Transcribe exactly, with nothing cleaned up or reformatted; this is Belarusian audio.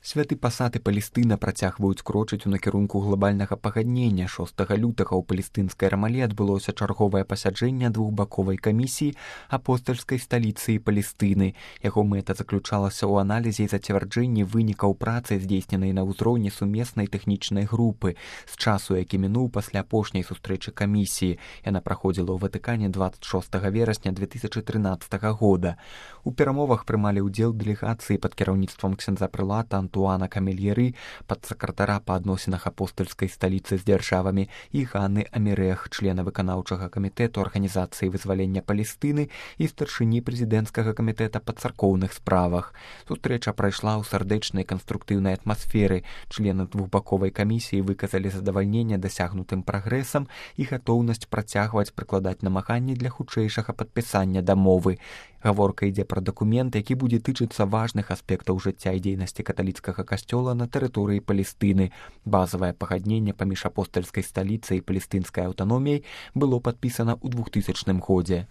Святы пасад і Палестына працягваюць крочыць у накірунку глобальнага пагаднення. шостага лютага ў палестынскай Рамалі адбылося чарговае пасяджэнне двухбаковай камісіі апостальскай сталіцы і Палестыны. Яго мэта заключалася ў аналізе і зацвярджэнні вынікаў працы, здзейсненай на ўзроўні сумеснай тэхнічнай групы. З часу, які мінуў пасля апошняй сустрэчы камісіі, яна праходзіла ў Ватыкане дваццаць шостага верасня две тысячы трынаццатага года. У перамовах прымалі ўдзел дэлегацыі пад кіраўніцтвам ксяндза прылата Антуана Камельеры, падсакратара па адносінах апостальскай сталіцы з дзяржавамі, і Ганны Амірэх, члена выканаўчага камітэту Арганізацыі вызвалення Палестыны і старшыні прэзідэнцкага камітэта па царкоўных справах. Сустрэча прайшла ў сардэчнай канструктыўнай атмасферы. Члены двухбаковай камісіі выказалі задавальненне дасягнутым прагрэсам і гатоўнасць працягваць прыкладаць намаганні для хутчэйшага падпісання дамовы. Гаворка ідзе пра дакумент, які будзе тычыцца важных аспектаў жыцця і дзейнасці каталіцкага касцёла на тэрыторыі Палестыны. Базавае пагадненне паміж апостальскай сталіцай і палестынскай аўтаноміяй было падпісана ў двухтысячным годзе.